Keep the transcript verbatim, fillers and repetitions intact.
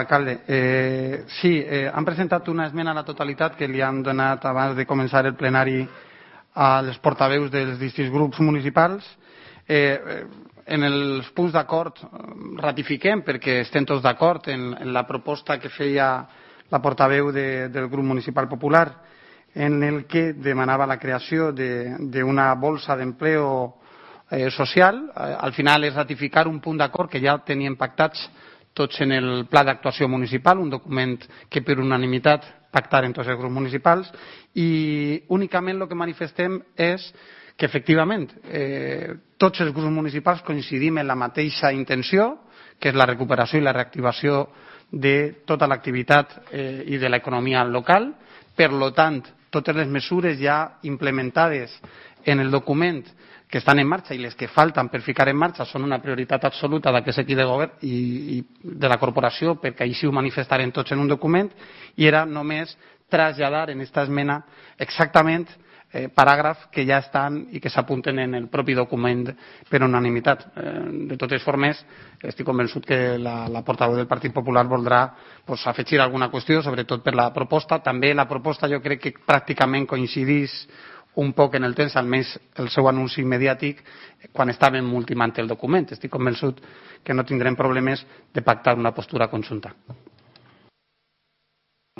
Alcalde, eh, sí, eh, han presentat una esmena a la totalitat que li han donat abans de començar el plenari als portaveus dels distints grups municipals. Eh, en els punts d'acord ratifiquem, perquè estem tots d'acord en, en la proposta que feia la portaveu de, del grup municipal popular, en el que demanava la creació d'una bolsa d'empleo eh, social. Eh, al final és ratificar un punt d'acord que ja tenien pactats tots en el pla d'actuació municipal, un document que per unanimitat pactaren tots els grups municipals, i únicament el que manifestem és que efectivament eh, tots els grups municipals coincidim en la mateixa intenció, que és la recuperació i la reactivació de tota l'activitat eh, i de l'economia local. Per tant, totes les mesures ja implementades en el document que estan en marxa i les que falten per ficar en marxa són una prioritat absoluta d'aquest equip de govern i, i de la corporació, perquè així ho manifestarem tots en un document, i era només traslladar en aquesta esmena exactament eh, paràgrafs que ja estan i que s'apunten en el propi document per unanimitat. Eh, de totes formes, estic convençut que la, la portaveu del Partit Popular voldrà pues, afegir alguna qüestió, sobretot per la proposta. També la proposta jo crec que pràcticament coincidís un poc en el temps, almenys el seu anunci mediàtic, quan estàvem ultimant el document. Estic convençut que no tindrem problemes de pactar una postura conjunta.